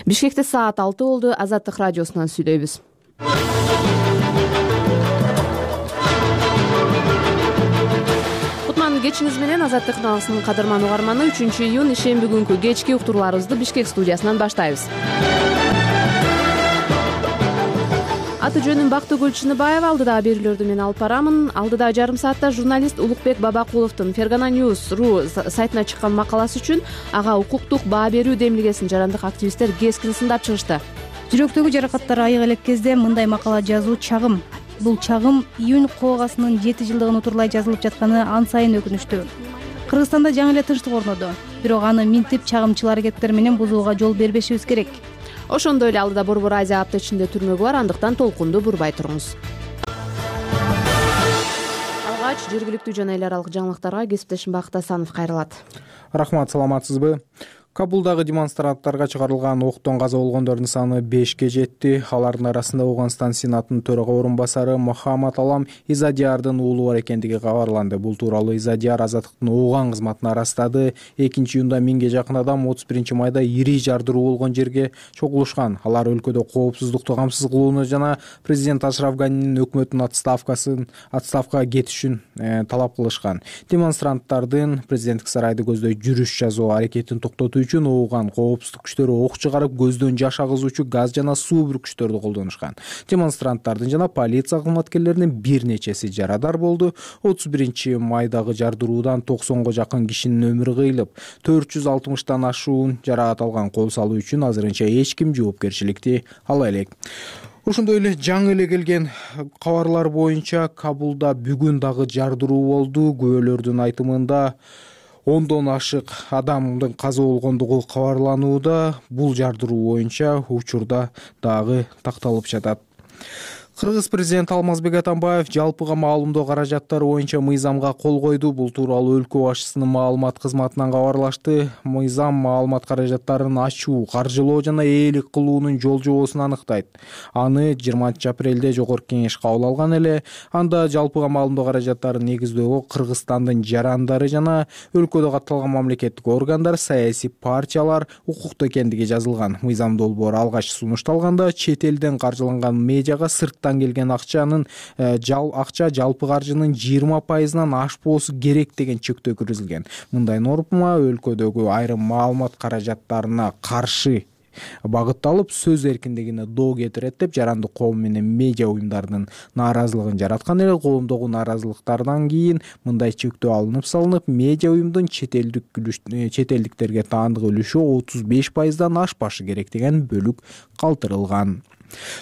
Бишкекте саат 6 болду. Азаттык радиосунан сүйлөйбүз. Кутман кечиңиз менен. Азаттык каналынын кадырман угарманы. 3-июнь ишемби күнкү кечки уктурууларыбызды Бишкек студиясынан баштайбыз. Аты жөнүм Бактыгүл Чыныбаева. Алдыдагы берүүлөрдү мен алып барамын. Алдыдагы жарым саатта журналист Улукбек Бабакуловдун Фергана News.ru сайтына чыккан макаласы үчүн ага укуктук баа берүү демилгесин жарандык активисттер кескин сындап чыгышты. Жүрөктөгү жаракаттар айык элек кезде мындай макала жазуу чагым. Бул чагым июнь коогасынын 7 жылдыгын утурлай жазылып жатканы ан сайын өкүнүчтүү. Кыргызстанда жаңы эле тынчтык орноду. Бирок аны минтип чагымчыл аракеттер менен бузууга жол бербешибиз керек. Ошондой эле алдыда Борбор Азия аптечинде түрмөгү бар, андыктан толкунду бурбай туруңуз. Алгач жергиликтүү жана эл аралык жаңылыктарга кесиптешим Бакыт Асанов кайрылат. Рахмат, саламатсызбы? Кабулдагы демонстранттарга чыгарылган октон каза болгондордун саны 5ке жетти. Алардын арасында Ауган Сенатынын төрага орун басары Мохаммад Алам Изадиярдын уулу бар экендиги кабарланды. Бул тууралуу Изадияр азаттыктын Ауган кызматына арастады. 2-июнда 1000ге жакын адам 31-майда ири жардыруу болгон жерге чогулушкан. Алар өлкөдө коопсуздукту камсыз кылууну жана президент Ашраф Ганинин өкмөтүнүн отставкага кетишин талап кылышкан. Демонстранттардын президенттик сарайды көздөй жүрүш жазуу аракетин токтотуу үчүн Ауган коопсуздук күчтөрү ок чыгарып, көздөн жаш агызуучу газ жана суу бүркүчтөрдү колдонушкан. Демонстранттардын жана полиция кызматкерлеринин бир нечеси жарадар болду. 31-майдагы жардыруудан 90га жакын кишинин өмүрү кыйылып, 460тан ашуун жаракат алган. Кол салуу үчүн азырынча эч ким жоопкерчиликти ала элек. Ошондой эле жаңы эле келген кабарлар боюнча Кабулда бүгүн дагы жардыруу болду. Күбөлөрдүн айтымында 10дон ашык адамдын каза болгондугу кабарланууда. Бул жардыруу боюнча учурда дагы такталып жатат. Кыргыз президенти Алмазбек Атамбаев жалпыга маалымдоо каражаттары боюнча мыйзамга кол койду. Бул тууралуу өлкө башчысынын маалымат кызматынан кабарлашты. Мыйзам маалымат каражаттарын ачуу, каржылоо жана ээлик кылуунун жол жобосун аныктайт. Аны 20-апрелде жогорку кеңеш кабыл алган эле. Анда жалпыга маалымдоо каражаттарын негиздөөгө Кыргызстандын жарандары жана өлкөдө катталган мамлекеттик органдар, саясий партиялар укуктуу экендиги жазылган. Мыйзам долбоору алгач сунушталганда чет элден каржыланган медиага келген акча жалпы каржынын 20%-нан ашпоосу керек деген чектөө киргизилген. Мындай норма өлкөдөгү айрым маалымат каражаттарына каршы багытталып, сөз эркиндигине доо кетирет деп жарандык коом менен медиа уюмдарынын нааразылыгын жараткан эле. Коомдогу нааразылыктардан кийин мындай чектөө салынып, медиа уюмдун чет элдиктерге таандык үлүшү 35%-дан ашпашы керек деген бөлүк калтырылган.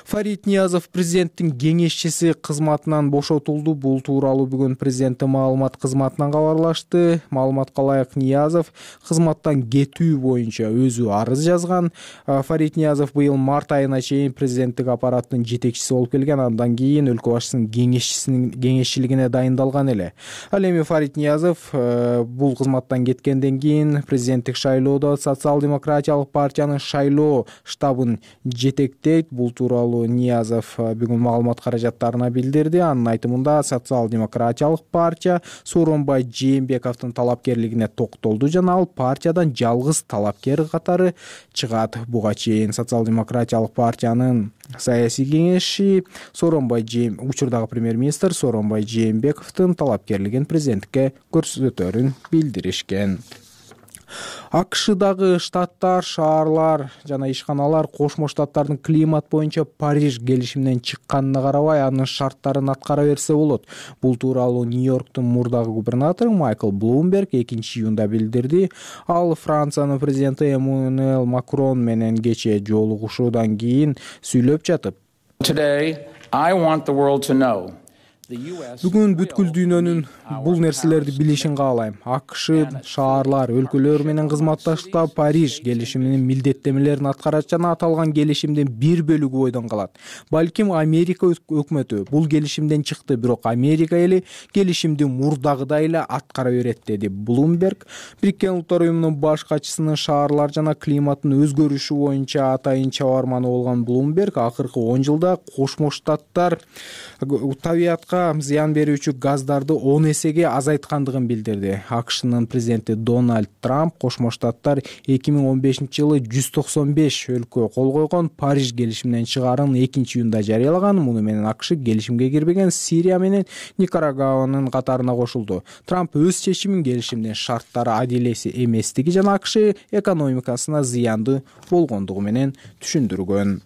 Фарид Ниязов президенттин кеңешчиси кызматынан бошотулду. Бул тууралуу бүгүн президенттин маалымат кызматынан кабарлашты. Маалыматка ылайык, Ниязов кызматтан кетүү боюнча өзү арыз жазган. Фарид Ниязов быйыл март айына чейин президенттик аппараттын жетекчиси болуп келген. Андан кийин өлкө башчысынын кеңешчилигине дайындалган эле. Ал эми Фарид Ниязов бул кызматтан кеткенден кийин президенттик шайлоодо социал-демократиялык партиянын шайлоо штабын жетектейт. Бул тууралуу Ниязов бүгүн маалымат каражаттарына билдирди. Анын айтымында социал-демократиялык партия Сооронбай Жээнбековдун талапкерлигине токтолду жана ал партиядан жалгыз талапкер катары чыгат. Буга чейин социал-демократиялык партиянын саясий кеңеши учурдагы премьер-министр Сооронбай Жээнбековдун талапкерлигин президентке көрсөтөрүн билдиришкен. АКШдагы штаттар, шаарлар жана ишканалар Кошмо Штаттардын климат боюнча Париж келишиминен чыкканына карабай анын шарттарын аткара берсе болот. Бул тууралуу Нью-Йорктун мурдагы губернатору Майкл Блумберг 2-июнда билдирди. Ал Франциянын президенти Эммануэль Макрон менен кечээ жолугушуудан кийин сүйлөп жатып: Бүгүн бүткүл дүйнөнүн бул нерселерди билишин каалайм. АКШ шаарлар, өлкөлөр менен кызматташта Париж келишиминин милдеттемелерин аткарат жана аталган келишимдин бир бөлүгү бойдон калат. Балким Америка өкмөтү бул келишимден чыкты, бирок Америка эли келишимди мурдагыдай эле аткара берет, деди Блумберг. Бириккен Улуттар уюмунун баш катчысынын шаарлар жана климаттын өзгөрүшү боюнча атайын чабарманы болгон Блумберг акыркы 10 жылда Кошмо Штаттар табиятка климатка зыян берүүчү газдарды 10 эсеге азайткандыгын билдирди. АКШнын президенти Дональд Трамп Кошмо Штаттар 2015-жылы 195 өлкө кол койгон Париж келишиминен чыгаарын 2-июнда жарыялаган. Муну менен АКШ келишимге кирбеген Сирия менен Никарагуанын катарына кошулду. Трамп өз чечимин келишимдин шарттары адилет эместиги жана АКШ экономикасына зыянды болгондугу менен түшүндүргөн.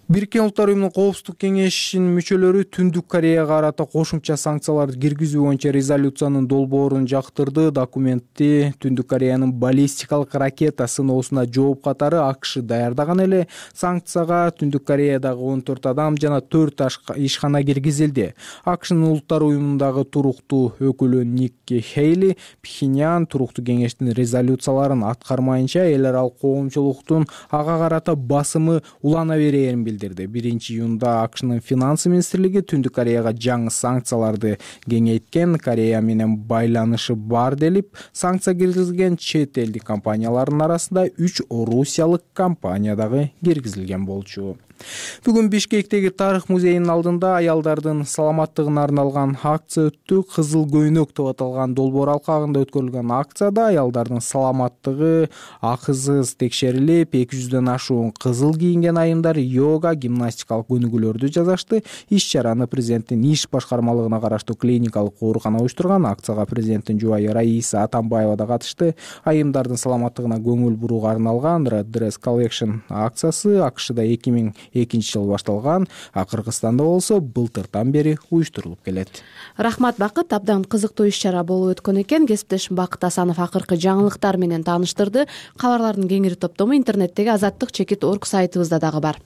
Бириккен Улуттар Уюмунун Коопсуздук кеңешинин мүчөлөрү Түндүк Кореяга карата кошумча санкцияларды киргизүү боюнча резолюциянын долбоорун жактырды. Документти Түндүк Кореянын баллистикалык ракета сыноосуна жооп катары АКШ даярдаган эле. Санкцияга Түндүк Кореядагы 14 адам жана 4 ишкана киргизилди. АКШнын Улуттар Уюмундагы туруктуу өкүлү Никки Хейли Пхеньян туруктуу кеңештин резолюцияларын аткармайынча эл аралык коомчулуктун ага карата басымы улана берээрин билдирди. 1-июнда АКШнын финансы министрлиги Түндүк Кореяга жаңы санкцияларды кеңейткен. Корея менен байланышы бар делип, санкция киргизилген чет элдик компаниялардын арасында 3 орусиялык компания дагы киргизилген болчу. Бүгүн Бишкектеги тарых музейинин алдында аялдардын саламаттыгына арналган акция өттү. Кызыл көйнөк деп аталган долбоор алкагында өткөрүлгөн акцияда аялдардын саламаттыгы акысыз текшерилип, 200дөн ашуун кызыл кийинген айымдар йога, гимнастикалык өнүгүүлөрдү жасашты. Иш-чараны президенттин иш башкармалыгына караштуу клиникалык оорукана уюштурган. Акцияга президенттин жубайы Раиса Атамбаева да катышты. Айымдардын саламаттыгына көңүл бурууга арналган Red Dress Collection акциясы АКШда 2002-жыл башталган, а Кыргызстанда болсо былтырдан бери уюштурулуп келет. Рахмат Бакыт, абдан кызыктуу иш-чара болуп өткөн экен. Кесиптешим Бакыт Асанов акыркы жаңылыктар менен тааныштырды. Кабарлардын кеңири топтому интернеттеги azattik.org сайтыбызда дагы бар.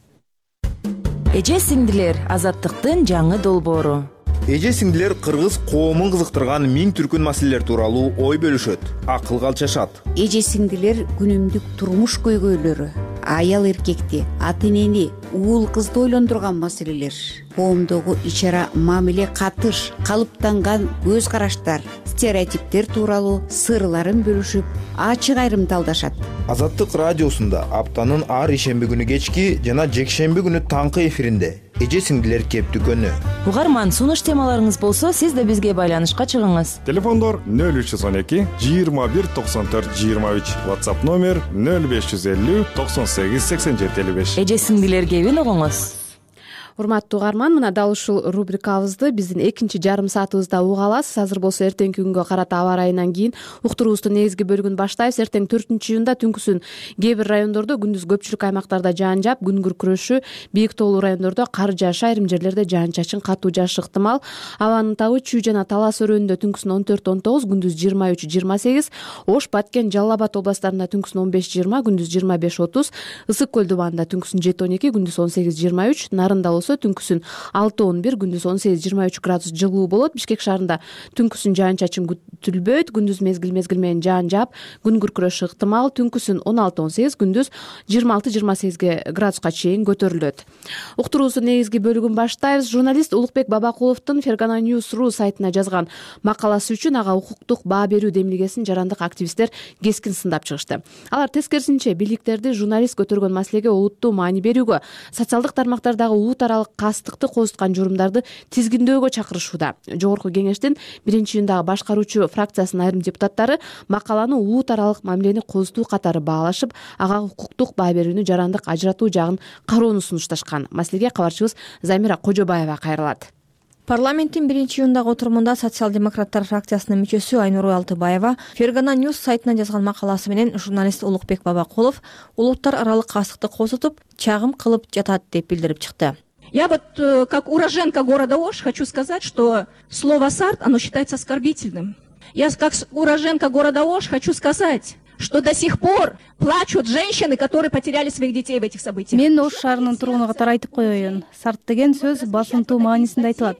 Эже сиңдилер, Азаттыктын жаңы долбоору. Эже сиңдилер кыргыз коомун кызыктырган 1000 түркүн маселелер тууралуу ой бөлүшөт, акыл калчашат. Эже сиңдилер күнүмдүк турмуш көйгөйлөрү, аял эркекти, ата энени, уул кызды ойлондурган маселелер, коомдогу ич-ара мамиле, катыш, калыптанган көз караштар, стереотиптер тууралуу сырларын бөлүшүп, ачык айрымталдашат. Азаттык радиосунда аптанын ар ишемби күнү кечки жана жекшемби күнү таңкы эфиринде эже сиңдилер кептүкөнү. Угарман, сунуш темаларыңыз болсо, сиз да бизге байланышка чыгыңыз. Телефондор 0312 21 94 23, WhatsApp номер 0550 98 87 55. Эже сиңдилер кебин угуңуз. Урматтуу угарман, мына дал ушул рубрикабызды биздин экинчи жарым саатыбызда уга аласыз. Азыр болсо эртеңки күнгө карата аба ырайынан кийин уктуруубуздун негизги бөлүгүн баштайбыз. Эртең 4-июнда түнкүсүн кээ бир райондордо, күндүз көпчүлүк аймактарда жаан жаап, күн күркүрөшү, бийик тоолуу райондордо кар жаашы, айрым жерлерде жаан чачын, катуу жаашы ыктымал. Абанын табы Чүй жана Талас өрөөнүндө түнкүсүн 14-19, күндүз 23-28, Ош, Баткен, Жалал Абад областарында түнкүсүн 15-20, күндүз 25-30, Ысык көл дубанында түнкүсүн 7-12, күндүз 18-23, Нарында түнкүсүн 6-11, күндүз 18-23 градус жылуу болот. Бишкек шаарында түнкүсүн жаан чачын күтүлбөйт, күндүз мезгил менен жаан жаап, күн күркүрөшү ыктымал. Түнкүсүн 16-18, күндүз 26-28 градуска чейин көтөрүлөт. Уктуруубуздун негизги бөлүгүн баштайбыз. Журналист Улукбек Бабакуловдун Fergana News.ru сайтына жазган макаласы үчүн ага укуктук баа берүү демилгесин жарандык активисттер кескин сындап чыгышты. Алар тескерисинче бийликтерди журналист көтөргөн маселеге олуттуу маани берүүгө, социалдык тармактардагы улут аралык кастыкты козуткан журумдарды тизгиндөөгө чакырышууда. Жогорку кеңештин 1-июндагы башкаруучу фракциясынын айрым депутаттары макаланы улут аралык мамилени козутуу катары баалашып, ага укуктук баа берүүнү жарандык ажыратуу жагын кароону сунушташкан. Маселеге кабарчыбыз Замира Кожобаева кайрылат. Парламенттин 1-июндагы отурумунда социал-демократтар фракциясынын мүчөсү Айнур Алтыбаева Fergana News сайтына жазган макаласы менен журналист Улукбек Бабакулов улуттар аралык кастыкты козутуп, чагым кылып жатат деп билдирип чыкты. Я вот, как уроженка города Ош, хочу сказать, что слово «сарт», оно считается оскорбительным. Я, как уроженка города Ош, хочу сказать, что до сих пор плачут женщины, которые потеряли своих детей в этих событиях. Мен Ош шаарынын тургуну катары айтып коеюн. Сарт деген сөз басымтуу маанисинде айтылат.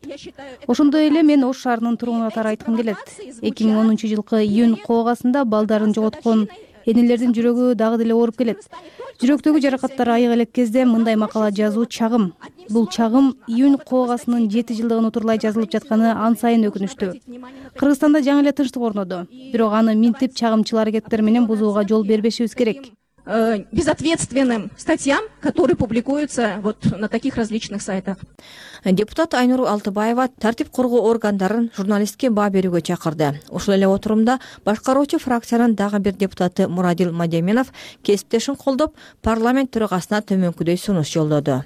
Ошондой эле мен Ош шаарынын тургуну катары айткым келет. 2010-жылкы июнь коогасында балдарын жоготкон энелердин жүрөгү дагы деле ооруп келет. Жүрөктөгү жаракаттар айык элек кезде мындай макала жазуу чагым. Бул чагым июнь коогасынын 7 жылдыгын утурлай жазылып жатканы ан сайын өкүнүчтүү. Кыргызстанда жаңы эле тынчтык орноду. Бирок аны минтип чагымчыл аракеттер менен бузууга жол бербешибиз керек. безответственным статьям, которые публикуются вот на таких различных сайтах. Депутат Айнур Алтыбаева тартип коргоо органдарын журналистке баа берүүгө чакырды. Ушул эле отурумда башкаруучу фракциянын дагы бир депутаты Мурадил Мадеменов кесиптешин колдоп, парламент төрагасына төмөнкүдөй сунуш жолдоду.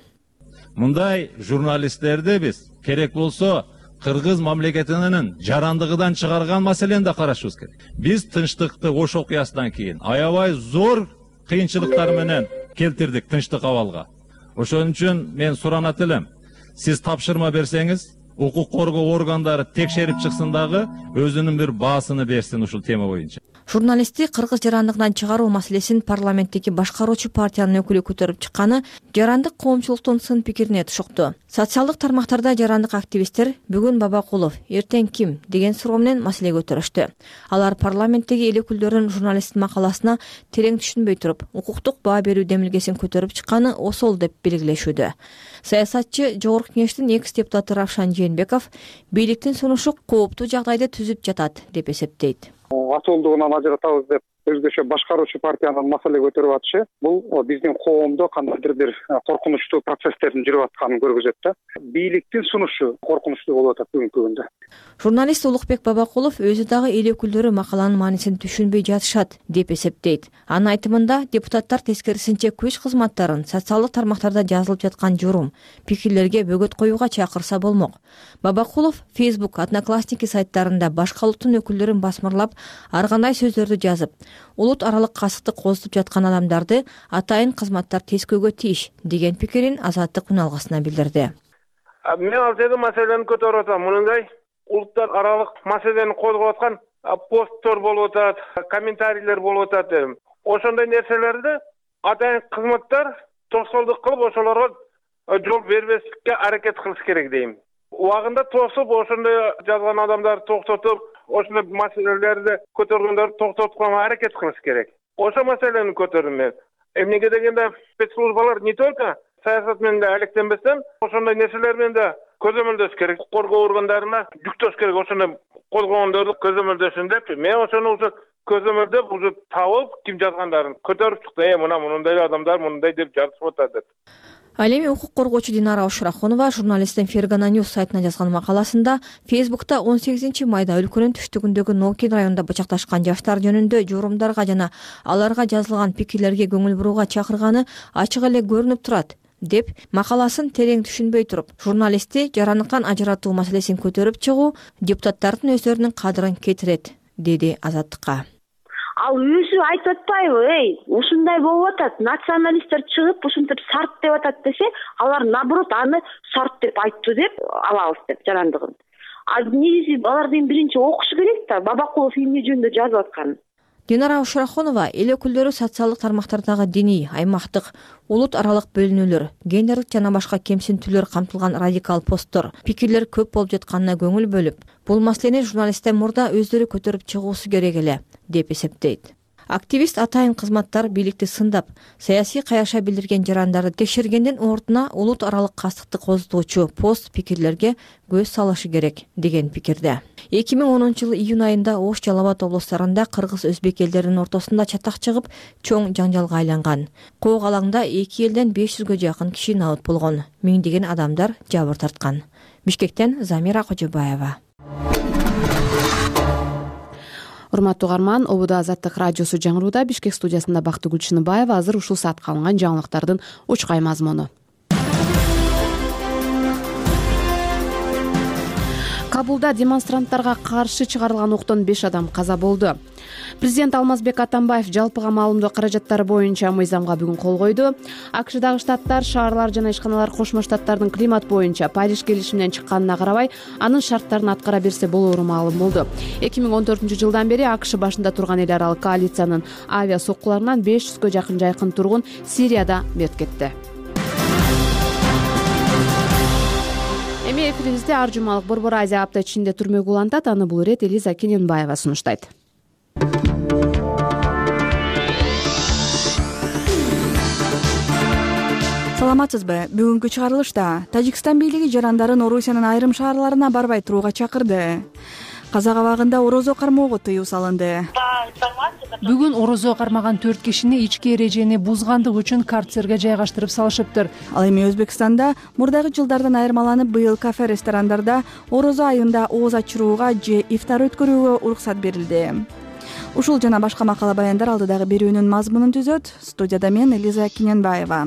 Мындай журналисттерди биз керек болсо Кыргыз мамлекетинин жарандыгынан чыгарган маселени да карашыбыз керек. Биз тынчтыкты Ош окуясынан кийин аябай зор кыйынчылыктар менен келтирдик тынчтык абалга. Ошон үчүн мен суранат элем. Сиз тапшырма берсеңиз, укук коргоо органдары текшерип чыксын дагы өзүнүн бир баасын берсин ушул тема боюнча. Журналистти кыргыз жарандыгынан чыгаруу маселесин парламенттеги башкаруучу партиянын өкүлү көтөрүп чыкканы жарандык коомчулуктун сын пикирине тушукту. Социалдык тармактарда жарандык активисттер бүгүн Бабакулов, эртең ким деген суроо менен маселе көтөрүштү. Алар парламенттеги эл өкүлдөрүнүн журналисттин макаласына терең түшүнбөй туруп, укуктук баа берүү демилгесин көтөрүп чыкканы осол деп белгилешүүдө. Саясатчы Жогорку Кеңештин экс-депутаты Равшан Жээнбеков бийликтин сунушу кооптуу жагдайды түзүп жатат деп эсептейт. Атуулдугунан ажыратабыз деп өзгөчө башкаруучу партиянын маселе көтөрүп атышы бул биздин коомдо кандайдыр бир коркунучтуу процесстердин жүрүп атканын көргөзөт да. Бийликтин сунушу коркунучтуу болуп атат бүгүнкү күндө. Журналист Улукбек Бабакулов өзү дагы эл өкүлдөрү макаланын маанисин түшүнбөй жатышат деп эсептейт. Анын айтымында депутаттар тескерисинче күч кызматтарын социалдык тармактарда жазылып жаткан журум, пикирлерге бөгөт коюуга чакырса болмок. Бабакулов Facebook, Одноклассники сайттарында башка улуттун өкүлдөрүн басмырлап, ар кандай сөздөрдү жазып, улут аралык касыкты козутуп жаткан адамдарды атайын кызматтар тескөөгө тийиш деген пикирин Азаттык үн алгысына билдирди. Мен ал жерде маселени көтөрүп атам. Мындай улуттар аралык маселени козгоп аткан посттор болуп атат, комментарийлер болуп атат дедим. Ошондой нерселерди атайын кызматтар тосолдук кылып, ошолорго жол бербестикке аракет кылыш керек дейм. Убагында тосуп, ошондой жазган адамдарды токтотуп, ошондой маселелерди көтөргөндөрдү токтотконго аракет кылыш керек. Ошо маселени көтөрдүм мен. Эмнеге дегенде спецслужбалар не только саясат менен да алектенбестен, ошондой нерселер менен да көзөмөлдөш керек. Коргоо органдарына жүктөш керек, ошондой козгогондорду көзөмөлдөшүн деп. Мен ошону уже көзөмөлдөп, уже табып, ким жазгандарын көтөрүп чыкты. Мындай адамдар мындай деп жазып атат деп. Ал эми укук коргоочу Динара Ушрахунова журналисттин Фергана Ньюс сайтына жазган макаласында Facebook'та 18 майда өлкөнүн түштүгүндөгү Нокин районунда бычакташкан жаштар жөнүндө журумдарга жана аларга жазылган пикирлерге көңүл бурууга чакырганы ачык эле көрүнүп турат деп макаласын терең түшүнбөй туруп, журналистти жарандыктан ажыратуу маселесин көтөрүп чыгуу депутаттардын өздөрүнүн кадырын кетирет, деди Азаттыкка. Ал өзү айтып атпайбы, ушундай болуп атат, националисттер чыгып ушинтип сарт деп атат десе, алар наоборот аны сарт деп айтты деп алабыз деп жарандыгын. Негизи алардын биринчи окушу керек да, Бабакулов эмне жөнүндө жазып атканын. Динара Ушрахунова эл өкүлдөрү социалдык тармактардагы диний, аймактык, улут аралык бөлүнүүлөр, гендерлик жана башка кемсинтүүлөр камтылган радикал посттор, пикирлер көп болуп жатканына көңүл бөлүп, бул маселени журналисттер мурда өздөрү көтөрүп чыгуусу керек эле деп эсептейт. Активист атайын кызматтар бийликти сындап, саясий каяша билдирген жарандарды текшергендин ордуна улут аралык кастыкты козутуучу пост пикирлерге көз салышы керек деген пикирде. 2010-жылы июнь айында Ош, Жалал Абад облустарында кыргыз-өзбек элдеринин ортосунда чатак чыгып, чоң жаңжалга айланган. Коок алаңда эки элден 500гө жакын киши набыт болгон, миңдеген адамдар жабыр тарткан. Бишкектен Замира Кожобаева. Урматтуу угарман, Обуда Азаттык радиосу жаңырууда. Бишкек студиясында Бактыгүл Чыныбаева. Азыр ушул саатка алынган жаңылыктардын учкай мазмуну. Кабулда демонстранттарга каршы чыгарылган октон 5 адам каза болду. Президент Алмазбек Атамбаев жалпыга маалымдоо каражаттары боюнча мыйзамга бүгүн кол койду. АКШдагы штаттар, шаарлар жана ишканалар Кошмо Штаттардын климат боюнча Париж келишиминен чыкканына карабай, анын шарттарын аткара берсе болоору маалым болду. 2014-жылдан бери АКШ башында турган эл аралык коалициянын авиа соккуларынан 500гө жакын жайкын тургун Сирияда мерт кетти. Эми эфирибизде ар жумалык Борбор Азия апта ичинде түрмөгү улантат. Аны бул ирет Элиза Кененбаева сунуштайт. Саламатсызбы? Бүгүнкү чыгарылышта Тажикстан бийлиги жарандарын Орусиянын айрым шаарларына барбай турууга чакырды. Казак абагында орозо кармоого тыюу салынды. Бүгүн орозо кармаган 4 кишини ички эрежени бузгандык үчүн карцерге жайгаштырып салышыптыр. Ал эми Өзбекстанда мурдагы жылдардан айырмаланып быйыл кафе ресторандарда орозо айында ооз ачырууга же ифтар өткөрүүгө уруксат берилди. Ушул жана башка макала баяндар алдыдагы берүүнүн мазмунун түзөт. Студияда мен Элиза Киненбаева.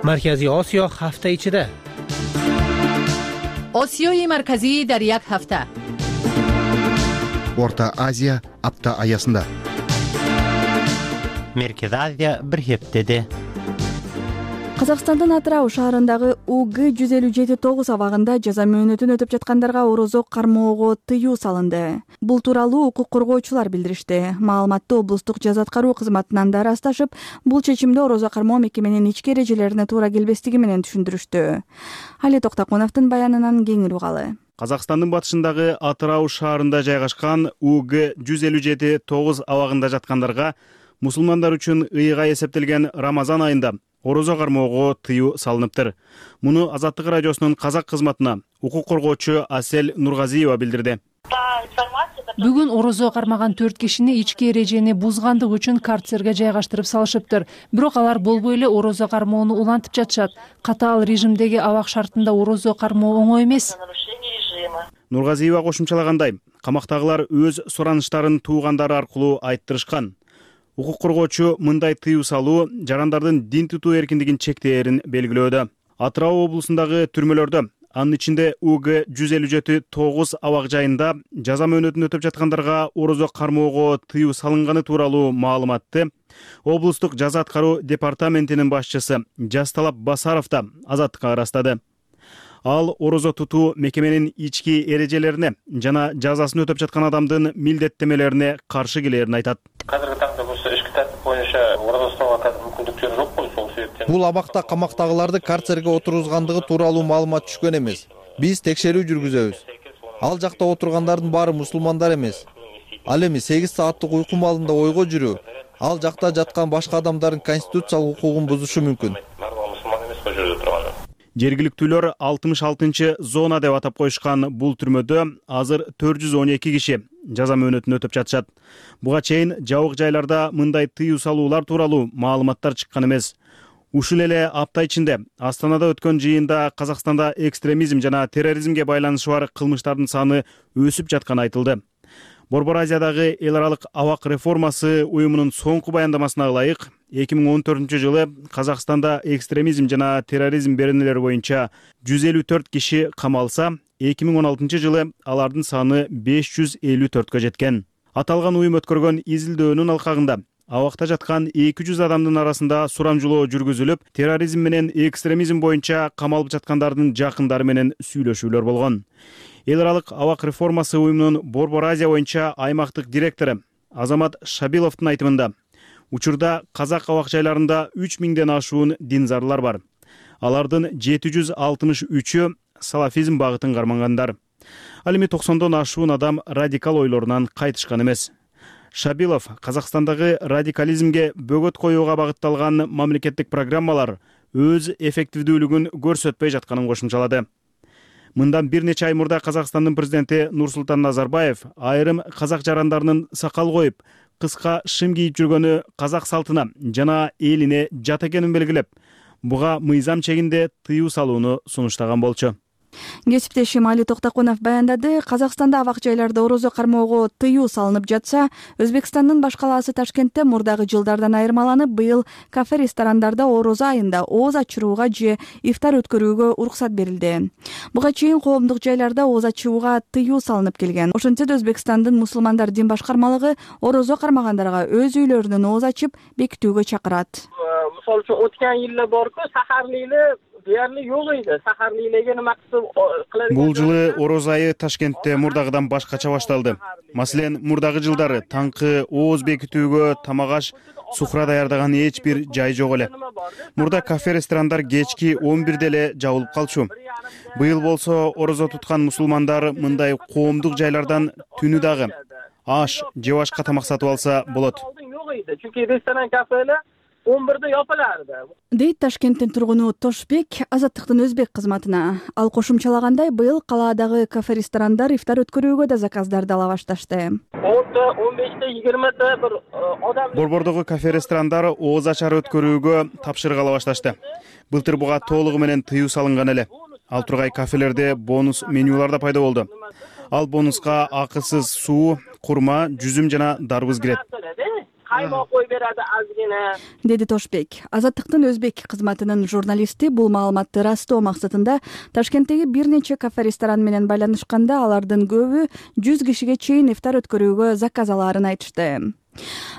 Марказий Осиё ҳафта ичида. Осиёи марказӣ дар як ҳафта. Орта Азия апта аясында. Меркези Азия бир хептеде. Казакстандын Атырау шаарындагы УГ 157-9 абагында жаза мөөнөтүн өтөп жаткандарга орозо кармоого тыюу салынды. Бул тууралуу укук коргоочулар билдиришти. Маалыматты облустук жаза аткаруу кызматынан да ырасташып, бул чечимди орозо кармоо мекеменин ички эрежелерине туура келбестиги менен түшүндүрүштү. Али Токтоконовдун баянынан кеңири угалы. Казакстандын батышындагы Атырау шаарында жайгашкан УГ 157-9 абагында жаткандарга мусулмандар үчүн ыйга эсептелген Рамазан айында орозо кармоого тыюу салыныптыр. Муну Азаттык радиосунун казак кызматына укук коргоочу Асель Нургазиева билдирди. Бүгүн орозо кармаган 4 кишини ички эрежени бузгандык үчүн карцерге жайгаштырып салышыптыр. Бирок алар болбой эле орозо кармоону улантып жатышат. Катаал режимдеги абак шартында орозо кармоо оңой эмес. Нургазиева кошумчалагандай, камактагылар өз сураныштарын туугандары аркылуу айттырышкан. Укук коргоочу мындай тыюу салуу жарандардын дин тутуу эркиндигин чектээрин белгилөөдө. Атырау облусундагы түрмөлөрдө, анын ичинде УГ 157-9 абак жайында жаза мөөнөтүн өтөп жаткандарга орозо кармоого тыюу салынганы тууралуу маалыматты облустук жаза аткаруу департаментинин башчысы Жасталап Басаров да Азаттыкка ырастады. Ал орозо тутуу мекеменин ички эрежелерине жана жазасын өтөп жаткан адамдын милдеттемелерине каршы келерин айтат. Азыркы таңда болсо ички тартип боюнча орозо уктоого мүмкүндүктөр жок кой, ошол себептен. Бул абакта камактагыларды карцерге отургузгандыгы тууралуу маалымат түшкөн эмес. Биз текшерүү жүргүзөбүз. Ал жакта отургандардын баары мусулмандар эмес. Ал эми 8 сааттык уйку маалында ойго жүрүү, ал жакта жаткан башка адамдардын конституциялык укугун бузушу мүмкүн. Жергиликтүүлөр 66 зона деп атап коюшкан бул түрмөдө азыр 412 киши жаза мөөнөтүн өтөп жатышат. Буга чейин жабык жайларда мындай тыюу салуулар тууралуу маалыматтар чыккан эмес. Ушул эле апта ичинде Астанада өткөн жыйында Казакстанда экстремизм жана терроризмге байланышы бар кылмыштардын саны өсүп жатканы айтылды. Борбор Азиядагы эл аралык абак реформасы уюмунун соңку баяндамасына ылайык 2014-жылы Казакстанда экстремизм жана терроризм беренелери боюнча 154 киши камалса, 2016-жылы алардын саны 554кө жеткен. Аталган уюм өткөргөн изилдөөнүн алкагында абакта жаткан 200 адамдын арасында сурамжылоо жүргүзүлүп, терроризм менен экстремизм боюнча камалып жаткандардын жакындары менен сүйлөшүүлөр болгон. Эл аралык абак реформасы уюмунун Борбор Азия боюнча аймактык директору Азамат Шабиловдун айтымында, учурда казак абак жайларында 3000ден ашуун динзарлар бар. Алардын 763-ü салафизм багытын кармангандар. Ал эми 90дон ашуун адам радикал ойлорунан кайтышкан эмес. Шабилов Казакстандагы радикализмге бөгөт коюуга багытталган мамлекеттик программалар өз эффективдүүлүгүн көрсөтпөй жатканын кошумчалады. Мындан бир нече ай мурда Казакстандын президенти Нурсултан Назарбаев айрым казак жарандарынын сакал коюп, кыска шым кийип жүргөнү казак салтына жана элине жат экенин белгилеп, буга мыйзам чегинде тыюу салууну сунуштаган болчу. Кесиптешим Али Токтоконов баяндады. Казакстанда абак жайларда орозо кармоого тыюу салынып жатса, Өзбекстандын баш калаасы Ташкентте мурдагы жылдардан айырмаланып, быйыл кафе-ресторандарда орозо айында ооз ачырууга же ифтар өткөрүүгө уруксат берилди. Буга чейин коомдук жайларда ооз ачууга тыюу салынып келген. Ошентсе да Өзбекстандын мусулмандар дин башкармалыгы орозо кармагандарга өз үйлөрүнөн ооз ачып бекитүүгө чакырат. Мисалы үчүн өткөн жылы борку сахарлыйлы deyarli yo'q edi. Saharliklarga nima qilib Бул жылы орозо айы Ташкентте мурдагыдан башкача башталды. Маселен, мурдагы жылдары таңкы ооз бекитүүгө тамак аш, сухра даярдаган эч бир жай жок эле. Мурда кафе-ресторандар кечки 11де эле жабылып калчу. Быйыл болсо орозо туткан мусулмандар мындай коомдук жайлардан түнү дагы аш же башка тамак сатып алса болот. Yo'q edi. Chunki restoran, kafeler 11-де япыларды. Дейт Ташкенттин тургуну Тошбек Азаттыктын өзбек кызматына. Ал кошумчалагандай, быйыл калаадагы кафе-ресторандар ифтар өткөрүүгө да заказдарды ала башташты. 10-15-те 20-те бир адам Борбордогу кафе-ресторандар ооз ачар өткөрүүгө тапшырык ала башташты. Былтыр буга толугу менен тыюу салынган эле. Ал тургай кафелерде бонус менюлар да пайда болду. Ал бонуска акысыз суу, курма, жүзүм жана дарбыз кирет. каймак кой берadi азгина. Деди Тошбек. Азаттыктын өзбек кызматынын журналисти бул маалыматты ырастоо максатында Ташкенттеги бир нече кафе-ресторан менен байланышканда алардын көбү 100 кишиге чейин ифтар өткөрүүгө заказ алаарын айтышты.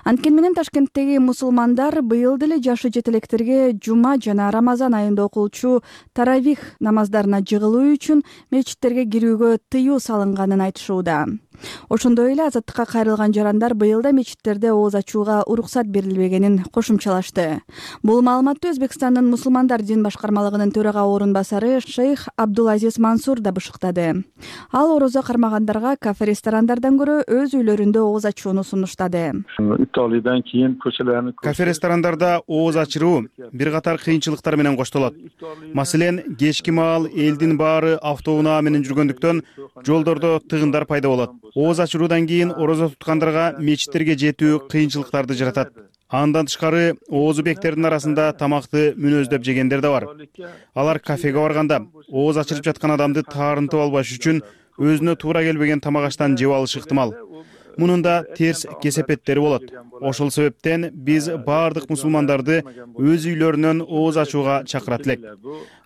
Анткени менен Ташкенттеги мусулмандар быйыл деле жашы жетелектерге жума жана Рамазан айында окулчу таравих намаздарына жыгылуу үчүн мечиттерге кирүүгө тыюу салынганын айтышууда. Ошондой эле азаттыкка кайрылган жарандар быйыл да мечиттерде ооз ачууга уруксат берилбегенин кошумчалашты. Бул маалыматты Өзбекстандын мусулмандар дин башкармалыгынын төрага орун басары шейх Абдулазиз Мансур да бышыктады. Ал орозо кармагандарга кафе-ресторандардан көрө өз үйлөрүндө ооз ачууну сунуштады. Италиядан кийин көчөлөрүн кафе-ресторандарда ооз ачыруу бир катар кыйынчылыктар менен коштолот. Маселен, кечки маал элдин баары автоунаа менен жүргөндүктөн жолдордо тыгындар пайда болот. Ооз ачыруудан кийин орозо туткандарга мечиттерге жетүү кыйынчылыктарды жаратат. Андан тышкары оозубектердин арасында тамакты мүнөздөп жегендер да бар. Алар кафеге барганда ооз ачырып жаткан адамды таарынтып албаш үчүн өзүнө туура келбеген тамак аштан жеп алышы ыктымал. Мунун да терс кесепеттери болот. Ошол себептен биз баардык мусулмандарды өз үйлөрүнөн ооз ачууга чакырат элек.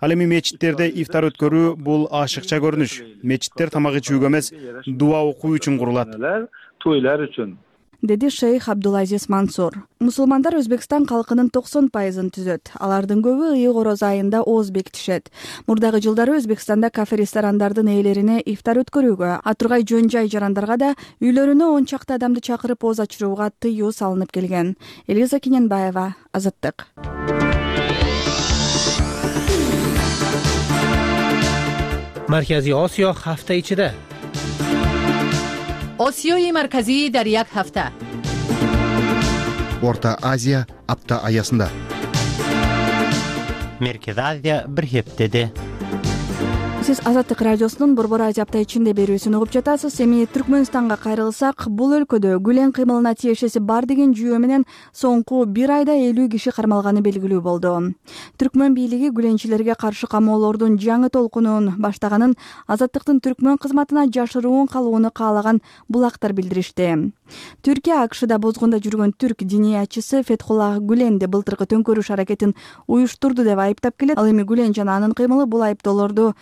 Ал эми мечиттерде ифтар өткөрүү бул ашыкча көрүнүш. Мечиттер тамак ичүүгө эмес, дуа окуу үчүн курулат. Тойлар үчүн. Деди шейх Абдулазиз Мансур. Мусулмандар Өзбекстан калкынын 90%-ын түзөт. Алардын көбү ыйык орозо айында ооз бекитишет. Мурдагы жылдары Өзбекстанда кафе-ресторандардын ээлерине ифтар өткөрүүгө, атургай жөн жай жарандарга да үйлөрүнө 10 чакты адамды чакырып ооз ачырууга тыюу салынып келген. Элиза Кененбаева, Азаттык. Марказий Осиё ҳафта ичида. осиёи марказӣ дар як ҳафта. Орта Азия апта аясында. Меркез Азия бир хептеде. Сиз Азаттык радиосунун Борбор Азия апта ичинде берүүсүн угуп жатасыз. Эми Түркмөнстанга кайрылсак, бул өлкөдө гүлен кыймылына тиешеси бар деген жүйө менен соңку бир айда 50 киши кармалганы белгилүү болду. Түркмөн бийлиги гүленчилерге каршы камоолордун жаңы толкунун баштаганын Азаттыктын Түркмөн кызматына жашыруун калууну каалаган булактар билдиришти. Түркия АКШда бозгунда жүргөн түрк диниячысы Фетхуллах Гүленди былтыркы төңкөрүш аракетин уюштурду деп айыптап келет. Ал эми Гүлен жана анын кыймылы бул айыптоолорду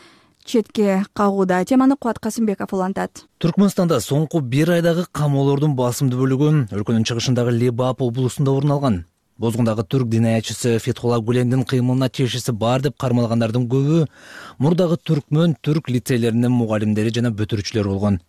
четке кагууда. Теманы Кубат Касымбеков улантат. Түркмөнстанда соңку бир айдагы камоолордун басымдуу бөлүгү өлкөнүн чыгышындагы Лебап облусунда орун алган. Бозгундагы түрк динаячысы Фетхуллах Гүлендин кыймылына тиешеси бар деп кармалгандардын көбү мурдагы түркмөн түрк лицейлеринин мугалимдери жана бүтүрүүчүлөрү болгон.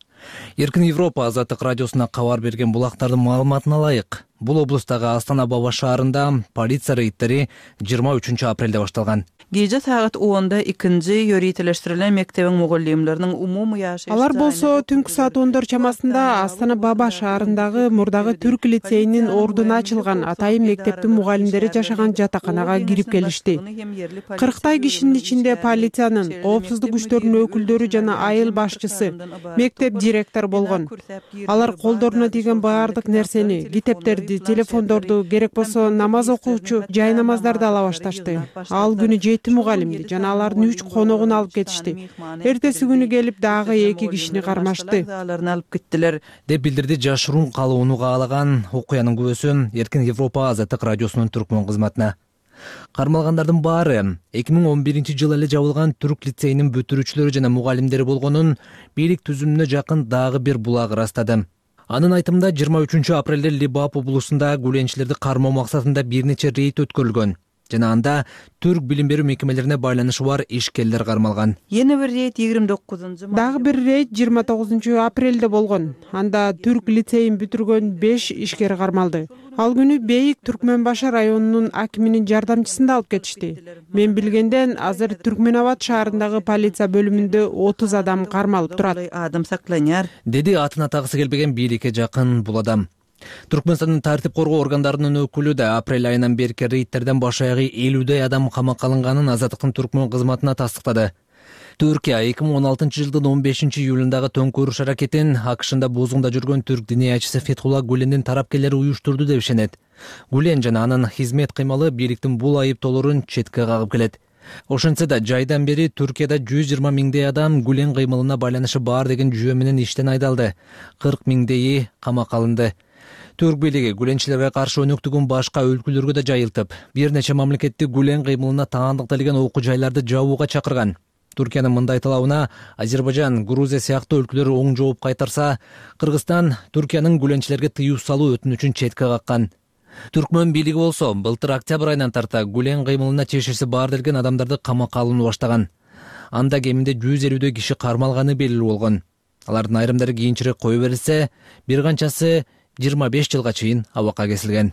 Эркин Европа Азаттык радиосуна кабар берген булактардын маалыматына ылайык, бул облустагы Астана Баба шаарында полиция рейдтери 23 апрелде башталган. Gece saat 10'da ikinci yöreteleştirilen mektebin mugallimlerinin umumu yaşayışta... Алар болсо түнкү саат 10 чамасында Астана Баба шаарындагы мурдагы түрк лицейинин ордуна ачылган атайын мектептин мугалимдери жашаган жатаканага кирип келишти. 40 кишинин ичинде полициянын, коопсуздук күчтөрүнүн өкүлдөрү жана айыл башчысы, мектеп директору болгон. Алар колдоруна тийген баардык нерсени, китептерди, телефондорду, керек болсо намаз окуучу жай намаздарды ала башташты. Ал күнү 7 мугалимди жана алардын 3 коногун алып кетишти. Эртеси күнү келип дагы 2 кишини кармашты деп билдирди жашыруун калууну каалаган окуянын күбөсү Эркин Европа Азаттык радиосунун түркмөн кызматына. Кармалгандардын баары 2011-жылы эле жабылган түрк лицейинин бүтүрүүчүлөрү жана мугалимдери болгонун бийлик түзүмүнө жакын дагы бир булак ырастады. Анын айтымында 23 апрелде Лебап облусунда гүленчилерди кармоо максатында бир нече рейд өткөрүлгөн. Жана анда түрк билим берүү мекемелерине байланышы бар ишкерлер кармалган. Yeni bir reyt 29. Дагы бир рейд 29 апрелде болгон. Анда түрк лицейин бүтүргөн 5 ишкер кармалды. Ал күнү Бейик Түркмөнбашы районунун акиминин жардамчысын алып кетишти. Мен билгенден азыр Түркмөнабад шаарындагы полиция бөлүмүндө 30 адам кармалып турат. Деди атын атагысы келбеген бийликке жакын бул адам. Түркмөнстандын тартип коргоо органдарынын өкүлү да апрель айынан берки рейдтерден баш аягы 50 адам камакка алынганын Азаттыктын түркмөн кызматына тастыктады. Түркия 2016 жылдын 15 июлундагы төңкөрүш аракетин АКШда бузгунда жүргөн түрк диниячысы Фетхулла Гулендин тарапкерлери уюштурду деп ишенет. Гулен жана анын хизмет кыймалы бийликтин бул айыптоолорун четке кагып келет. Ошентсе да жайдан бери Түркияда 120 миңдей адам Гулен кыймылына байланышы бар деген жүйө менен иштен айдалды. 40 миңдейи камакка алынды. Түрк бийлиги гуленчилерге каршы өнөктүгүн башка өлкөлөргө да жайылтып, бир нече мамлекетти Гулен кыймылына таандыкталган окуу жайларды жабууга чакырган. Түркиянын мындай талабына Азербайжан, Грузия сыяктуу өлкөлөр оң жооп кайтарса, Кыргызстан Түркиянын гуленчилерге тыюу салуу өтүнүчүн четке каккан. Түркмөн бийлиги болсо былтыр октябрь айынан тарта Гулен кыймылына чечиси бар делген адамдарды камакка алууну баштаган. Анда кеминде 150 киши кармалганы белгилүү болгон. Алардын айрымдары кийинчерээк кое берилсе, бир канчасы 25 жылга чейин абакка кесилген.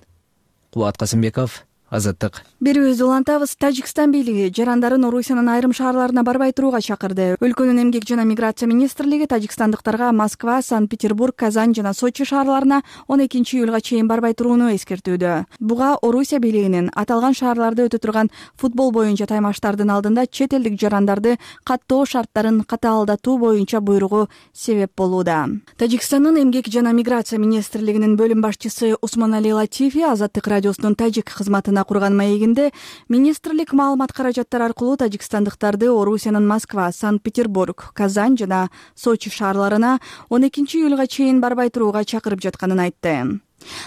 Кубат Касымбеков, Азаттык. Берүүбүздү улантабыз. Тажикстан бийлиги жарандарын Орусиянын айрым шаарларына барбай турууга чакырды. Өлкөнүн эмгек жана миграция министрлиги тажикстандыктарга Москва, Санкт-Петербург, Казань жана Сочи шаарларына 12 июлга чейин барбай турууну эскертүүдө. Буга Орусия бийлигинин аталган шаарларда өтө турган футбол боюнча таймаштардын алдында чет элдик жарандарды каттоо шарттарын катаалдатуу боюнча буйругу себеп болууда. Тажикстандын эмгек жана миграция министрлигинин бөлүм башчысы Усмонали Латифи Азаттык радиосунун тажик кызматына курган маегинде министрлик маалымат каражаттары аркылуу тажикстандыктарды Орусиянын Москва, Санкт-Петербург, Казань жана Сочи шаарларына 12 июлга чейин барбай турууга чакырып жатканын айтты.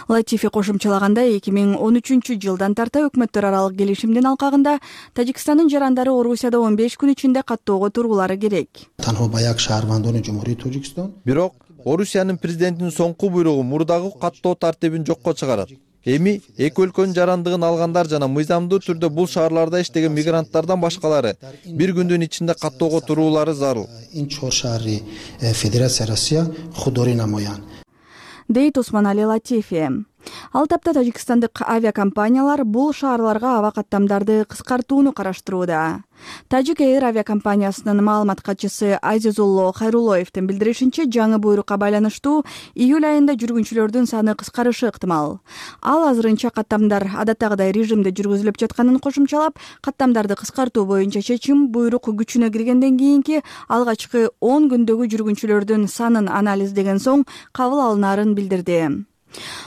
Латифи кошумчалагандай 2013 жылдан тарта өкмөттөр аралык келишимдин алкагында Тажикстандын жарандары Орусияда 15 күн ичинде каттоого туруулары керек. Бирок Орусиянын президентинин соңку буйругу мурдагы каттоо тартибин жокко чыгарат. Эми эки өлкөнүн жарандыгын алгандар жана мыйзамдуу түрдө бул шаарларда иштеген мигранттардан башкалары бир күндүн ичинде каттоого туруулары зарыл. Дейт Усмонали Латифи. Ал тапта тажикстандык авиакомпаниялар бул шаарларга аба каттамдарды кыскартууну караштырууда. Тажик Эйр авиакомпаниясынын маалымат катчысы Азизулло Хайрулоевдин билдиришинче, жаңы буйрукка байланыштуу июль айында жүргүнчүлөрдүн саны кыскарышы ыктымал. Ал азырынча каттамдар адаттагыдай режимде жүргүзүлүп жатканын кошумчалап, каттамдарды кыскартуу боюнча чечим буйрук күчүнө киргенден кийинки алгачкы 10 күндөгү жүргүнчүлөрдүн санын анализдеген соң кабыл алынаарын билдирди.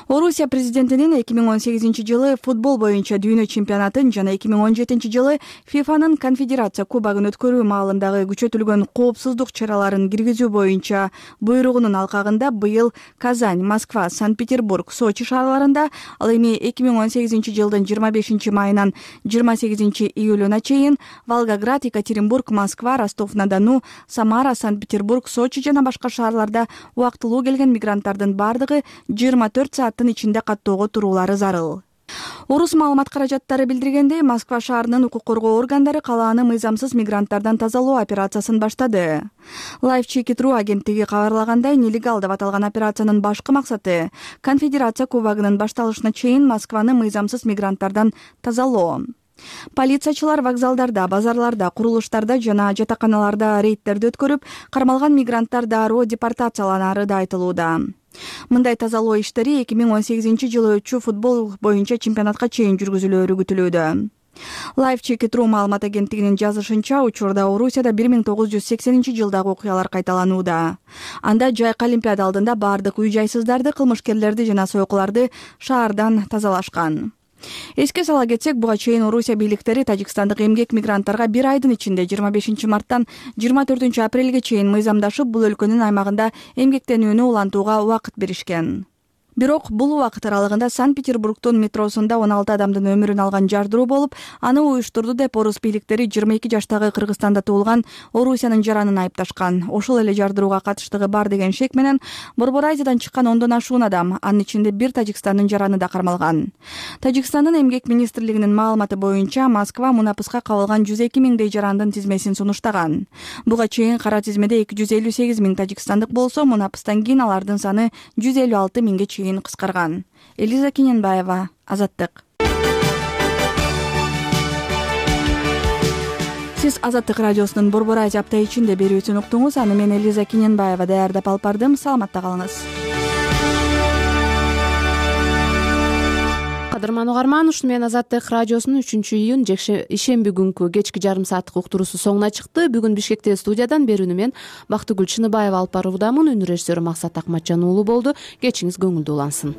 Орусия президентинин 2018 жылы футбол боюнча дүйнө чемпионатын жана 2017 жылы ФИФАнын конфедерация кубогун өткөрүү маалындагы күчөтүлгөн коопсуздук чараларын киргизүү боюнча буйругунун алкагында быйыл Казань, Москва, Санкт-Петербург, Сочи шаарларында, ал эми 2018 жылдын 25 майынан 28 июлуна чейин Волгоград, Екатеринбург, Москва, Ростов-на-Дону, Самара, Санкт-Петербург, Сочи жана башка шаарларда убактылуу келген мигранттардын бардыгы 24 сааттын ичинде каттоого туруулары зарыл. Орус маалымат каражаттары билдиргендей, Москва шаарынын укук коргоо органдары калааны мыйзамсыз мигранттардан тазалоо операциясын баштады. Life Check It Ru агенттиги кабарлагандай, нелегал деп аталган операциянын башкы максаты конфедерация кубогунун башталышына чейин Москваны мыйзамсыз мигранттардан тазалоо. Полициячылар вокзалдарда, базарларда, курулуштарда жана жатаканаларда рейдтерди өткөрүп, кармалган мигранттар дароо депортацияланары да айтылууда. Мындай тазалоо иштери 2018 жылы өтчү футбол боюнча чемпионатка чейин жүргүзүлөөрү күтүлүүдө. Life Check It Ru маалымат агенттигинин жазышынча, учурда Орусияда 1980 жылдагы окуялар кайталанууда. Анда жайкы Олимпиада алдында бардык үй-жайсыздарды, кылмышкерлерди жана сойкуларды шаардан тазалашкан. Эске сала кетсек, буга чейин Орусия бийликтери тажикстандык эмгек мигранттарга бир айдын ичинде 25 марттан 24 апрелге чейин мыйзамдашып, бул өлкөнүн аймагында эмгектенүүнү улантууга убакыт беришкен. Бирок бул убакыт аралыгында Санкт-Петербургдун метросунда 16 адамдын өмүрүн алган жардыруу болуп, аны уюштурду деп орус бийликтери 22 жаштагы Кыргызстанда туулган Орусиянын жаранын айыпташкан. Ошол эле жардырууга катыштыгы бар деген шек менен Борбор Азиядан чыккан 10дон ашуун адам, анын ичинде бир Тажикстандын жараны да кармалган. Тажикстандын эмгек министрлигинин маалыматы боюнча, Москва мунапыска кабылган 102 миңдей жарандын тизмесин сунуштаган. Буга чейин кара тизмеде 258 миң тажикстандык болсо, мунапыстан кийин алардын саны 156 миңге чейин кыскарган. Элиза Кененбаева, Азаттык. Сиз Азаттык радиосунун Борбор Азия апта ичинде берүүсүн уктуңуз. Аны мен Элиза Кененбаева даярдап алып бардым. Саламатта калыңыз. кадырман угарман, ушуну менен Азаттык радиосунун 3-июнь ишемби күнкү кечки жарым сааттык уктуруусу соңуна чыкты. Бүгүн Бишкектеги студиядан берүүнү мен Бактыгүл Чыныбаева алып баруудамын. Үнү режиссеру Максат Акматжан уулу болду. Кечиңиз көңүлдүү улансын.